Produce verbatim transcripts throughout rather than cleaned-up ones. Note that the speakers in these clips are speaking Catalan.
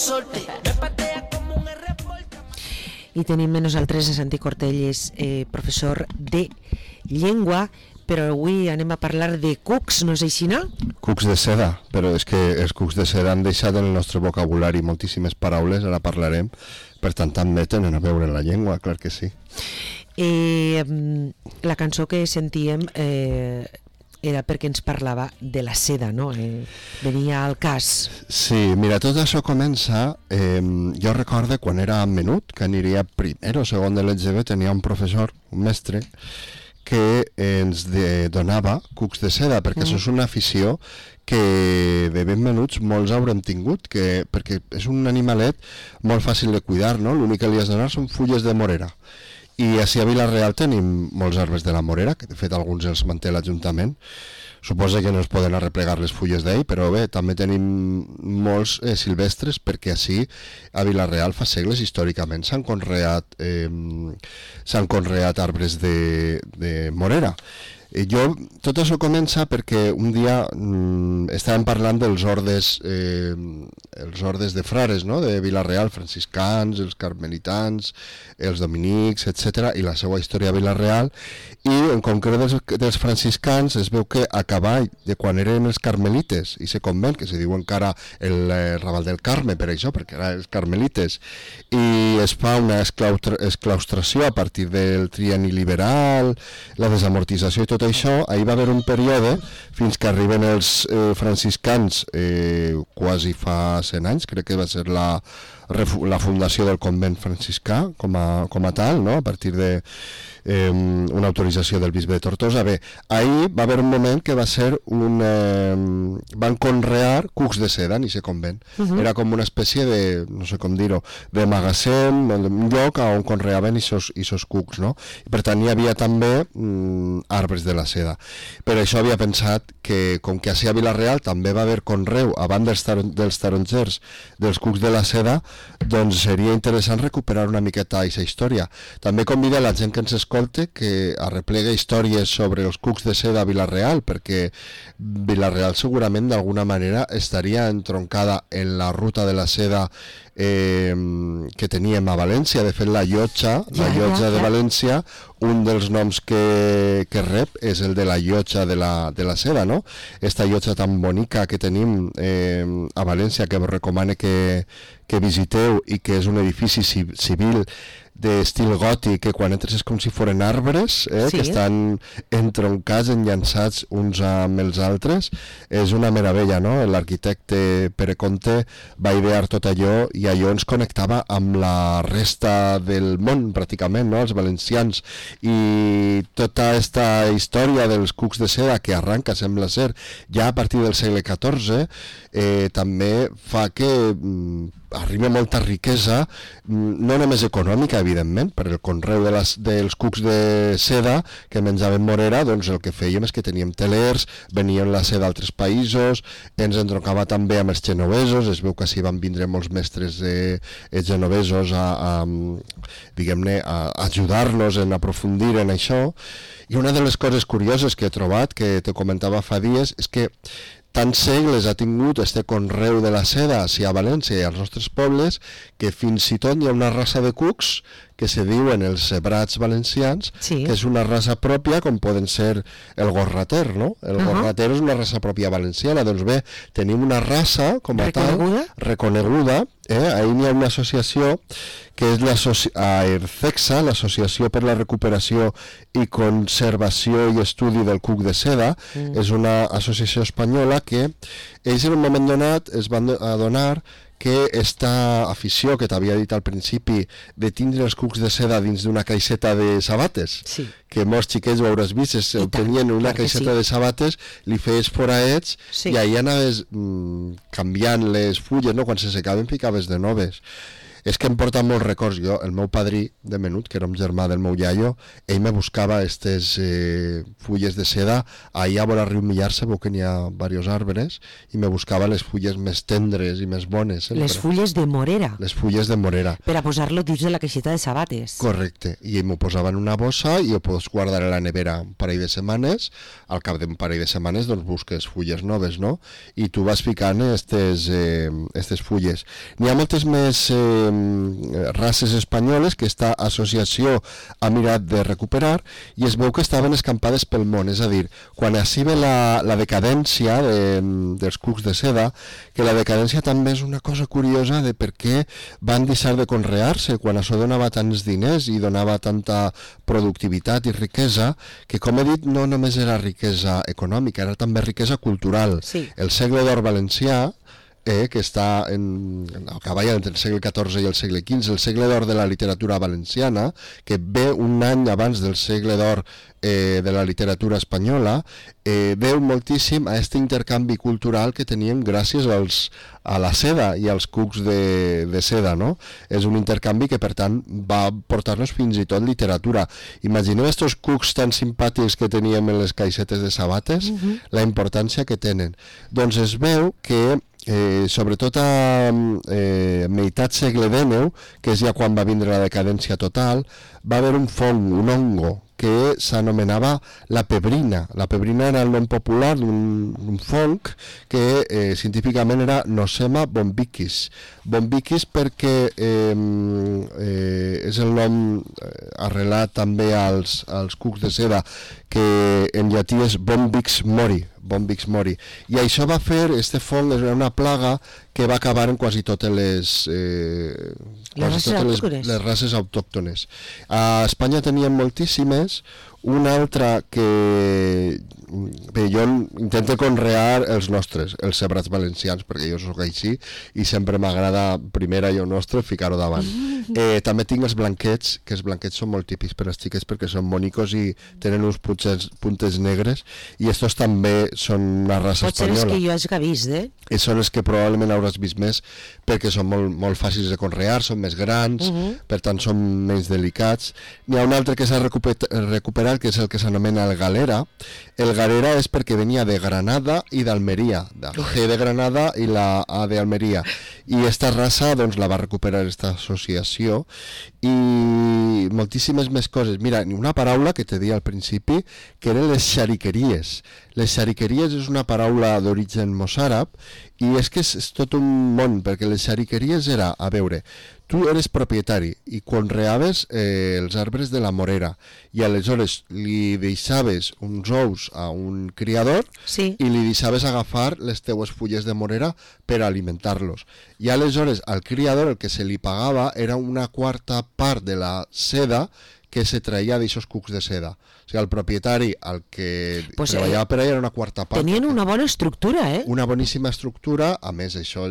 consorte. Me patea como un reporte. I tenim amb nosaltres a Santi Cortelles, eh, professor de llengua, però avui anem a parlar de cucs, no és així, no? Cucs de seda, però és que els cucs de seda han deixat en el nostre vocabulari moltíssimes paraules, ara parlarem, per tant també tenen a veure en la llengua, clar que sí. Eh, la cançó que sentíem eh, era perquè ens parlava de la seda, no? Eh, venia al cas. Sí, mira, tot això comença, eh, jo recordo quan era menut, que aniria primer o segon de l'E G B, tenia un professor, un mestre, que ens de, donava cucs de seda, perquè mm. això és una afició que de ben menuts molts haurem tingut, que, perquè és un animalet molt fàcil de cuidar, no? L'únic que li has de donar són fulles de morera. I així a Vila-real tenim molts arbres de la morera, que de fet alguns els manté l'Ajuntament. Suposa que no es poden arreplegar les fulles d'ell, però bé, també tenim molts eh, silvestres, perquè així a Vila-real fa segles històricament s'han conreat, eh, s'han conreat arbres de, de morera. Eh, jo, tot això comença perquè un dia mm, estàvem parlant dels ordes, eh, els ordes de frares, no?, de Vila-real, franciscans, els carmelitans, els dominics, etcètera, i la seva història a Vila-real, i en concret dels, dels franciscans es veu que a cavall de quan eren els carmelites, i se convent, que se diu encara el eh, Raval del Carme, per això, perquè eren els carmelites, i es fa una esclaustració a partir del trienni liberal, la desamortització i tot això, ahir va haver un període fins que arriben els eh, franciscans eh, quasi fa cent anys, crec que va ser la, la fundació del convent franciscà com a, com a tal, no? A partir de eh, una autorització del bisbe de Tortosa. Bé, ahir va haver un moment que va ser un... Eh, van conrear cucs de seda en aquest convent. Uh -huh. Era com una espècie de, no sé com dir-ho, de magatzem, un lloc on conreaven aquests cucs, no? I per tant hi havia també mm, arbres de la seda. Per això havia pensat que, com que a Vila-real també va haver conreu, abans dels, taron dels tarongers, dels cucs de la seda, doncs seria interessant recuperar una miqueta aquesta història. També convida la gent que ens escolte que arreplega històries sobre els cucs de seda a Vila-real, perquè Vila-real segurament d'alguna manera estaria entroncada en la ruta de la seda eh, que teníem a València. De fet, la llotja, la llotja de València, un dels noms que, que rep és el de la llotja de la, de la seda, no? Esta llotja tan bonica que tenim eh, a València, que us recomano que, que visiteu, i que és un edifici civil d'estil gòtic, que quan entres és com si foren arbres, eh, sí. que estan entroncats, enllançats uns amb els altres. És una meravella, no? L'arquitecte Pere Conte va idear tot allò, i allò ens connectava amb la resta del món, pràcticament, no? Els valencians. I tota aquesta història dels cucs de seda, que arranca, sembla ser, ja a partir del segle catorze, eh, també fa que mm, arriba molta riquesa, no només econòmica, evidentment, per el conreu de les, dels cucs de seda que menjaven morera, doncs el que fèiem és que teníem telers, venien la seda d'altres països, ens entroncava també amb els genovesos, es veu que així van vindre molts mestres de, eh, genovesos a, a, diguem-ne, a ajudar-nos en aprofundir en això. I una de les coses curioses que he trobat, que te comentava fa dies, és que tants segles ha tingut este conreu de la seda si a València i als nostres pobles, que fins i tot hi ha una raça de cucs que se diuen els cebrats valencians, sí. que és una raça pròpia, com poden ser el gorrater, no? El uh -huh. gorrater és una raça pròpia valenciana. Doncs bé, tenim una raça com a reconeguda? tal, reconeguda, eh? Ahir hi ha una associació que és l'AERCEXA, l'Associació per la Recuperació i Conservació i Estudi del Cuc de Seda. Mm. És una associació espanyola que ells en un moment donat es van adonar que esta afició que t'havia dit al principi de tindre els cucs de seda dins d'una caixeta de sabates, sí. que molts xiquets ho hauràs vist, es, ho tenien una caixeta sí. de sabates, li feies foraets sí. i ahir anaves mm, canviant les fulles, no? Quan se secaven ficaves de noves. És que em porta molts records. Jo, el meu padrí de menut, que era un germà del meu iaio, ell me buscava aquestes eh, fulles de seda. Allà a vora riu Millarse veu que n'hi ha diversos arbres i me buscava les fulles més tendres i més bones. Sempre. Les fulles de morera. Les fulles de morera. Per a posar-lo dins de la caixeta de sabates. Correcte. I m'ho posava en una bossa i ho pots guardar a la nevera un parell de setmanes. Al cap d'un parell de setmanes doncs busques fulles noves, no? I tu vas ficant aquestes eh, estes fulles. N'hi ha moltes més eh, races espanyoles que esta associació ha mirat de recuperar i es veu que estaven escampades pel món, és a dir, quan així ve la, la decadència de, dels cucs de seda, que la decadència també és una cosa curiosa de per què van deixar de conrear-se quan això donava tants diners i donava tanta productivitat i riquesa, que com he dit no només era riquesa econòmica, era també riquesa cultural. Sí. El segle d'or valencià, Eh, que està en, a cavall entre el segle catorze i el segle quinze, el segle d'or de la literatura valenciana, que ve un any abans del segle d'or eh, de la literatura espanyola, eh, veu moltíssim a aquest intercanvi cultural que teníem gràcies als, a la seda i als cucs de, de seda, no? És un intercanvi que, per tant, va portar-nos fins i tot literatura. Imagineu estos cucs tan simpàtics que teníem en les caixetes de sabates, uh-huh. la importància que tenen. Doncs es veu que Eh, sobretot a eh, meitat segle dènou, que és ja quan va vindre la decadència total, va haver un fong, un hongo, que s'anomenava la pebrina. La pebrina era el nom popular d'un fong que eh, científicament era Nosema bombiquis. Bombiquis perquè eh, eh, és el nom eh, arrelat també als, als cucs de seda, que en llatí és Bombix mori, Bombix mori. I això va fer, este fong era una plaga que va acabar en quasi totes les, eh, quasi totes les, les races autòctones. A Espanya tenien moltíssimes. Una altra que bé, jo intento conrear els nostres, els cebrats valencians, perquè jo sóc així i sempre m'agrada primer allò nostre ficar-ho davant. Eh, també tinc els blanquets, que els blanquets són molt típics per als xiquets perquè són bonicos i tenen uns puntes, puntes negres, i estos també són una raça Potser espanyola. Potser és que jo hagi vist, eh? I són els que probablement hauràs vist més perquè són molt, molt fàcils de conrear, són més grans, uh -huh. per tant són menys delicats. N'hi ha un altre que s'ha recuperat, recuperat que és el que s'anomena el galera. El galera és perquè venia de Granada i d'Almeria, la G de Granada i la A de Almeria, i esta raça doncs la va recuperar esta associació, i moltíssimes més coses. Mira, una paraula que te deia al principi, que eren les xariqueries. Les xariqueries és una paraula d'origen mossàrab, i és que és, és tot un món, perquè les xariqueries era, a veure, tu eres propietari i conreaves eh, els arbres de la morera, i aleshores li deixaves uns ous a un criador, sí. i li deixaves agafar les teues fulles de morera per alimentar-los. I aleshores al criador el que se li pagava era una quarta part de la seda que se traia d'aixòs cucs de seda. O sigui, el propietari, el que pues, treballava per allà, era una quarta part. Tenien una bona estructura, eh? Una boníssima estructura. A més, això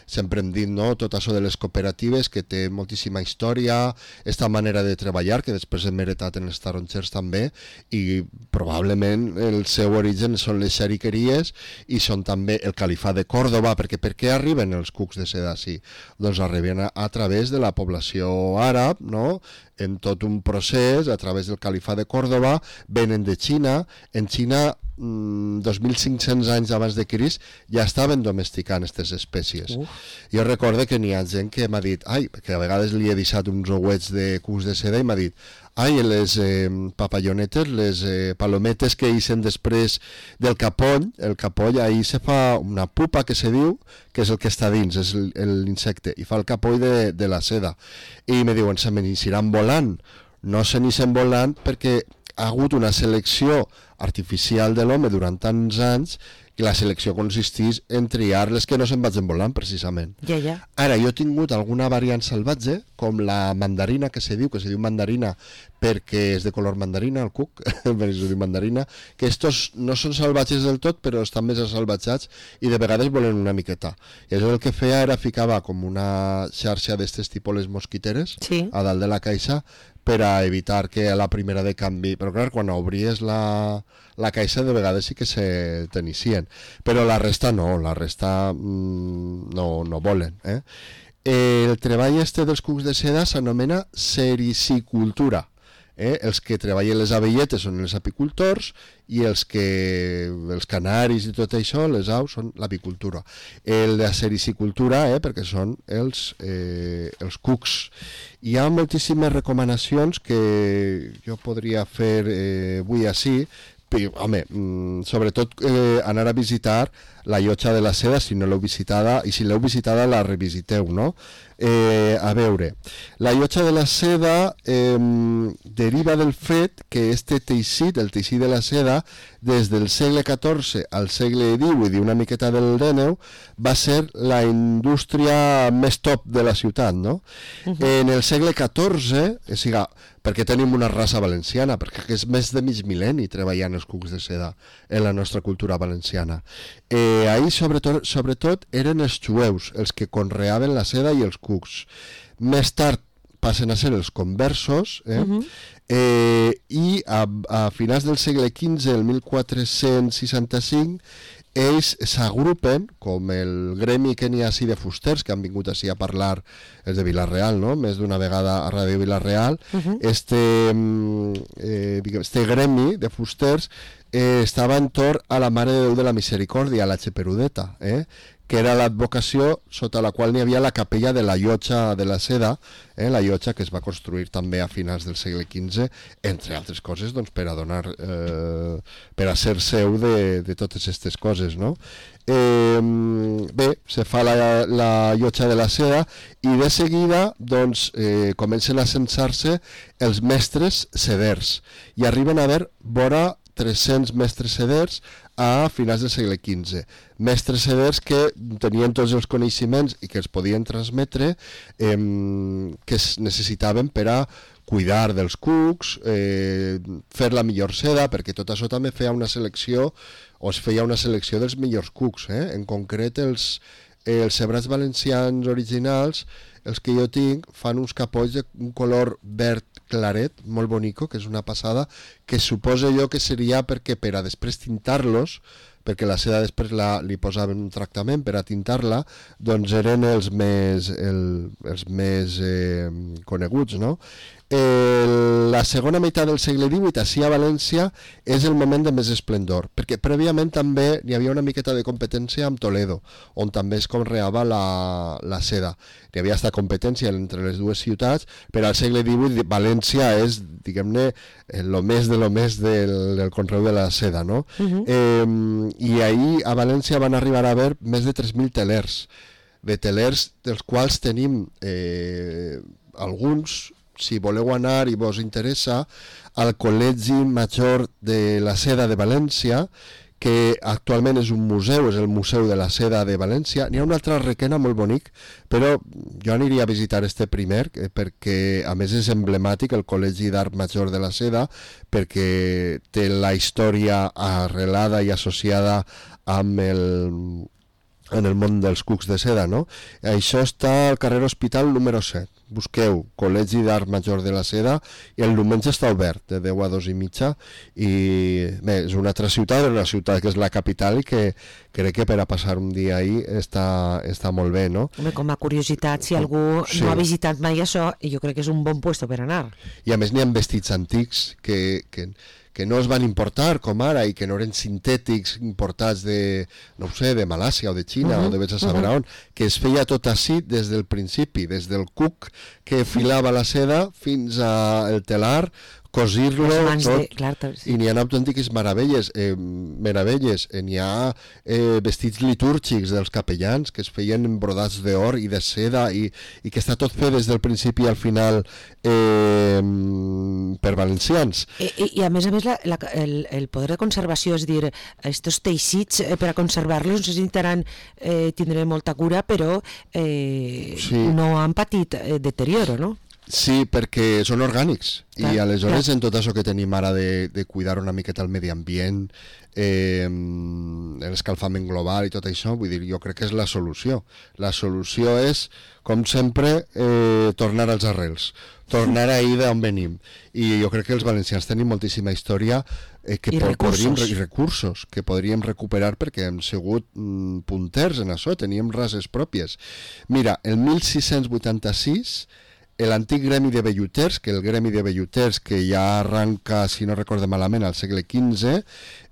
sempre hem dit, no?, tot això de les cooperatives, que té moltíssima història, esta manera de treballar, que després hem heretat en els tarongers també, i probablement el seu origen són les xariqueries i són també el califat de Còrdova, perquè per què arriben els cucs de seda així? Doncs arriben a, a través de la població àrab, no?, en tot un procés, a través del califat de Còrdova, venen de Xina. En Xina, mmm, dos mil cinc-cents anys abans de Crist, ja estaven domesticant aquestes espècies. Uf. Jo recordo que n'hi ha gent que m'ha dit, ai, que a vegades li he deixat uns ouets de cucs de seda i m'ha dit, ai, les eh, papallonetes, les eh, palometes que ixen després del capoll, el capoll, ahí se fa una pupa que se diu, que és el que està dins, és l'insecte, i fa el capoll de, de la seda. I me diuen, se me n'hixiran volant. No se n'ixen volant perquè ha hagut una selecció artificial de l'home durant tants anys, i la selecció consistís en triar les que no se'n vagin volant, precisament. Ja, ja. Ara, jo he tingut alguna variant salvatge, com la mandarina, que se diu, que se diu mandarina perquè és de color mandarina, el cuc, per això diu mandarina, que estos no són salvatges del tot, però estan més salvatjats i de vegades volen una miqueta. I això el que feia era ficava com una xarxa d'estes tipus les mosquiteres, sí, a dalt de la caixa, per a evitar que a la primera de canvi... Però clar, quan obries la, la caixa de vegades sí que se tenicien. Però la resta no, la resta mmm, no, no volen. Eh? El treball este dels cucs de seda s'anomena sericicultura. Eh? Els que treballen les abelletes són els apicultors i els que els canaris i tot això, les aus, són l'apicultura. El de sericicultura, eh? perquè són els, eh, els cucs. Hi ha moltíssimes recomanacions que jo podria fer eh, avui així. Home, sobretot eh, anar a visitar la llotja de la seda, si no l'heu visitada, i si l'heu visitada la revisiteu, no? Eh, a veure, la llotja de la seda eh, deriva del fet que este teixit, el teixit de la seda, des del segle catorze al segle divuit i una miqueta del dènou, va ser la indústria més top de la ciutat, no? Uh-huh. En el segle catorze, o sigui, perquè tenim una raça valenciana, perquè és més de mig mil·lenni treballant els cucs de seda en la nostra cultura valenciana. Eh, ahir, sobretot, sobretot, eren els jueus els que conreaven la seda i els cucs. Més tard passen a ser els conversos, eh? Uh-huh. eh, i a, a finals del segle quinze, el mil quatre-cents seixanta-cinc, ells s'agrupen, com el gremi que n'hi ha així de fusters, que han vingut així a parlar, els de Vila-real, no? Més d'una vegada a Ràdio Vila-real, uh-huh. este, eh, este gremi de fusters eh, estava entorn a la Mare de Déu de la Misericòrdia, la Cheperudeta, eh? que era l'advocació sota la qual n'hi havia la capella de la llotja de la seda, eh, la llotja que es va construir també a finals del segle quinze, entre altres coses, doncs, per a donar, eh, per a ser seu de, de totes aquestes coses, no? Eh, bé, se fa la, la llotja de la seda i de seguida doncs, eh, comencen a censar-se els mestres seders i arriben a haver vora tres-cents mestres seders a finals del segle quinze. Mestres seders que tenien tots els coneixements i que els podien transmetre, eh, que es necessitaven per a cuidar dels cucs, eh, fer la millor seda, perquè tot això també feia una selecció, o es feia una selecció dels millors cucs. Eh? En concret, els, eh, els cebrats valencians originals, els que jo tinc, fan uns capolls d'un color verd claret, molt bonico, que és una passada, que suposo jo que seria perquè per a després tintar-los, perquè la seda després la, li posaven un tractament per a tintar-la, doncs eren els més, el, els més eh, coneguts, no? Eh, la segona meitat del segle divuit, així a València, és el moment de més esplendor, perquè prèviament també hi havia una miqueta de competència amb Toledo, on també es conreava la, la seda. Hi havia esta competència entre les dues ciutats, però al segle divuit València és, diguem-ne, el més de lo més del, del conreu de la seda, no? Uh-huh. eh, I ahir a València van arribar a haver més de tres mil telers, de telers dels quals tenim eh, alguns, si voleu anar i vos interessa, al Col·legi Major de la Seda de València, que actualment és un museu, és el Museu de la Seda de València. N'hi ha un altre a Requena molt bonic, però jo aniria a visitar este primer, perquè a més és emblemàtic, el Col·legi d'Art Major de la Seda, perquè té la història arrelada i associada amb el... en el món dels cucs de seda, no? Això està al carrer Hospital número set. Busqueu Col·legi d'Art Major de la Seda i el diumenge està obert de deu a dos i mitja i bé, és una altra ciutat, una ciutat que és la capital i que crec que per a passar un dia ahí està, està molt bé, no? Home, com a curiositat, si algú sí. no ha visitat mai això, jo crec que és un bon puesto per anar. I a més n'hi ha vestits antics que... que que no es van importar com ara i que no eren sintètics importats de, no sé, de Malàsia o de Xina uh-huh, o de vés a saber uh-huh. on, que es feia tot així des del principi, des del cuc que filava la seda fins al telar, cosir-lo tot, de, clar, sí. i n'hi ha autèntiques meravelles, eh, meravelles, eh, n'hi ha eh, vestits litúrgics dels capellans que es feien brodats d'or i de seda i, i que està tot fet des del principi al final eh, per valencians. I, i, i a més a més la, la, el, el poder de conservació, és dir, estos teixits eh, per a conservar-los necessitaran eh, tindre molta cura, però eh, sí. no han patit eh, deterioro, no? Sí, perquè són orgànics. Clar, I aleshores, clar. en tot això que tenim ara de, de cuidar una miqueta el medi ambient, eh, l'escalfament global i tot això, vull dir, jo crec que és la solució. La solució és, com sempre, eh, tornar als arrels, tornar ahir d'on venim. I jo crec que els valencians tenim moltíssima història eh, que I po- recursos. podríem, i recursos que podríem recuperar perquè hem sigut mm, punters en això, teníem rases pròpies. Mira, el mil sis-cents vuitanta-sis l'antic gremi de velluters, que el gremi de velluters que ja arranca, si no recorde malament, al segle quinze,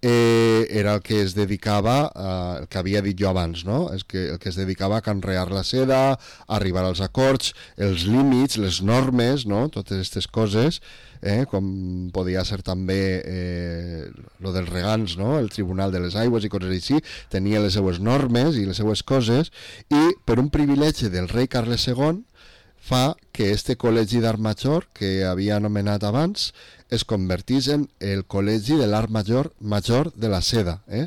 eh, era el que es dedicava, eh, el que havia dit jo abans, no? És que, el que es dedicava a canrear la seda, a arribar als acords, els límits, les normes, no? Totes aquestes coses, eh, com podia ser també eh, lo dels regants, no? El Tribunal de les Aigües i coses així, tenia les seues normes i les seues coses, i per un privilegi del rei Carles segon, fa que este col·legi d'art major que havia anomenat abans es convertís en el col·legi de l'art major major de la seda. Eh?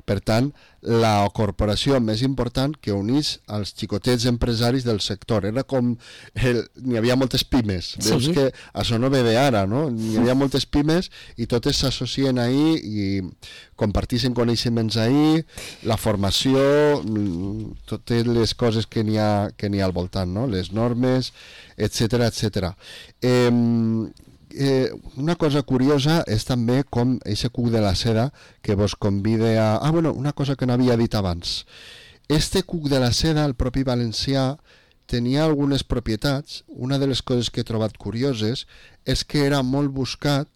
Per tant, la corporació més important que unís als xicotets empresaris del sector. Era com... El, n'hi havia moltes pimes. Sí. Veus que això no ve d'ara, no? N'hi havia moltes pimes i totes s'associen ahí i comparteixen coneixements ahí, la formació, mm, totes les coses que n'hi ha, que n'hi ha al voltant, no? Les normes, etcètera, etcètera. Eh, Eh, una cosa curiosa és també com eixe cuc de la seda que vos convida a... Ah, bueno, una cosa que no havia dit abans. Este cuc de la seda, el propi valencià, tenia algunes propietats. Una de les coses que he trobat curioses és que era molt buscat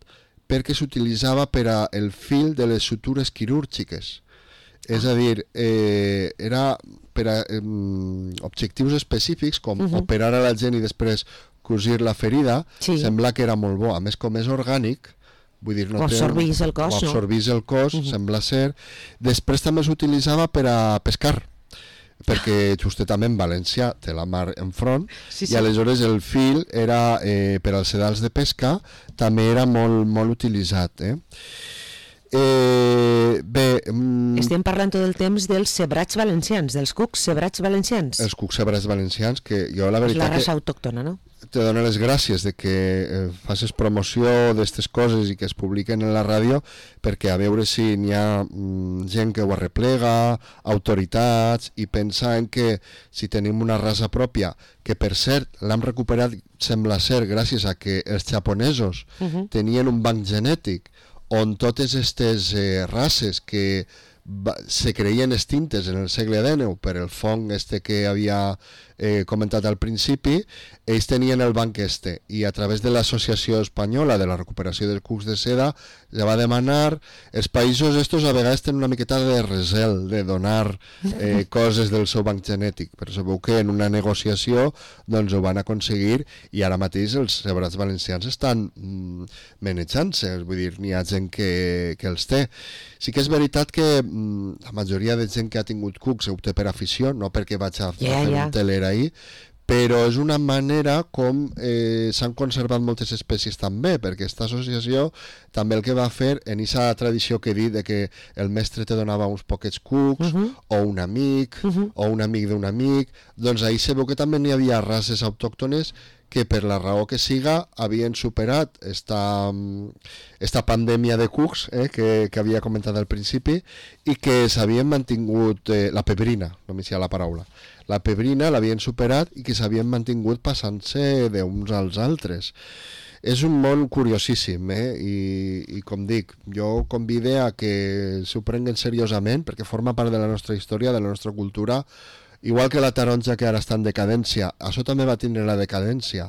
perquè s'utilitzava per a el fil de les sutures quirúrgiques. És a dir, eh, era per a eh, objectius específics, com uh-huh. operar a la gent i després cosir la ferida, Sí. sembla que era molt bo. A més, com és orgànic, vull dir, no Ho té- absorbís el cos, ho no? absorbís el cos, Mhm. sembla ser. Després també s'utilitzava per a pescar, perquè justament valencià té la mar enfront, Sí, i sí. aleshores el fil era eh, per als sedals de pesca, també era molt, molt utilitzat. Eh? Eh, bé, mm, Estem parlant tot el temps dels cebrats valencians, dels cucs cebrats valencians. els cucs cebrats valencians, que jo la És la veritat que raça autòctona, no? te dono les gràcies de que eh, facis promoció d'aquestes coses i que es publiquen en la ràdio, perquè a veure si n'hi ha mm, gent que ho arreplega, autoritats, i pensa en que si tenim una raça pròpia, que per cert l'hem recuperat, sembla ser, gràcies a que els japonesos Uh-huh. tenien un banc genètic on totes aquestes eh, races que va, se creien extintes en el segle dinou per el fong este que havia eh, comentat al principi, ells tenien el banc este, i a través de l'Associació Espanyola de la Recuperació dels Cucs de Seda ja va demanar, els països estos a vegades tenen una miqueta de recel de donar eh, coses del seu banc genètic, però sabeu que en una negociació doncs ho van aconseguir, i ara mateix els cebrats valencians estan mm, manejant-se, vull dir, n'hi ha gent que, que els té. Sí que és veritat que mm, la majoria de gent que ha tingut cucs ho té per afició, no perquè vaig a, Ja, a fer ja. un teler ahir, però és una manera com eh, s'han conservat moltes espècies també, perquè aquesta associació també el que va fer en aquesta tradició que he dit de que el mestre te donava uns poquets cucs, Uh-huh. o un amic, Uh-huh. o un amic d'un amic, doncs ahir se veu que també n'hi havia races autòctones que per la raó que siga havien superat esta, mm, esta pandèmia de cucs eh, que, que havia comentat al principi, i que s'havien mantingut, eh, la pebrina, no m'hi la paraula, la pebrina l'havien superat i que s'havien mantingut passant-se d'uns als altres. És un món curiosíssim, eh? I, i com dic, jo convide a que s'ho prenguen seriosament, perquè forma part de la nostra història, de la nostra cultura, igual que la taronja, que ara està en decadència. Això també va tindre la decadència,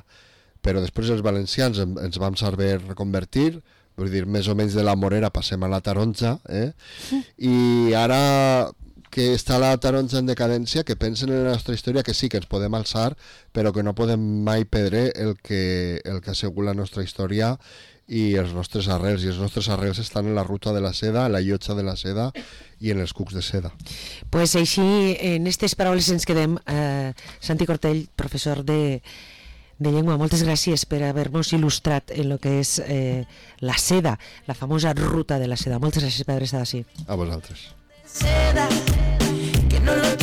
però després els valencians en- ens vam saber reconvertir, vull dir, més o menys de la morera passem a la taronja, eh? I ara que està la taronja en decadència, que pensen en la nostra història, que sí que ens podem alçar, però que no podem mai perdre el que, el que ha sigut la nostra història i els nostres arrels, i els nostres arrels estan en la ruta de la seda, en la llotja de la seda i en els cucs de seda. Pues així, en aquestes paraules ens quedem. Eh, Santi Cortell, professor de, de llengua, moltes gràcies per haver-nos il·lustrat en el que és eh, la seda, la famosa ruta de la seda. Moltes gràcies per haver estat així. A vosaltres. Seda, que no lo